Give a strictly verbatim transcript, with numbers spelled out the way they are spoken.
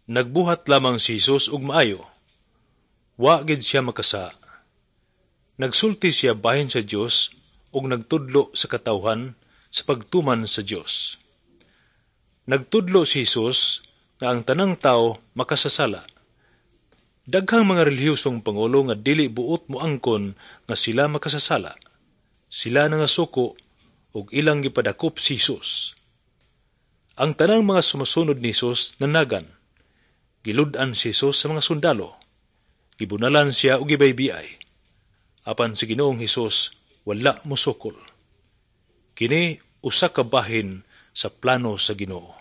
Nagbuhat lamang si Jesus og maayo. Wa gid siya makasala. Nagsulti siya bahin sa Dios ug nagtudlo sa katawhan sa pagtuman sa Dios. Nagtudlo si Jesus nga ang tanang tao makasasala. Daghang mga relihiyosong pangulo nga dili buot moangkon nga sila makasasala. Sila nangasuko ug ilang gipadakop si Jesus. Ang tanang mga sumusunod ni Jesus nanagan. Gilud-an si Jesus sa mga sundalo. Gibunalan siya og gibaybiay. Apan si Ginoong Hesus wala mosukol. Kini usa ka bahin sa plano sa Ginoo.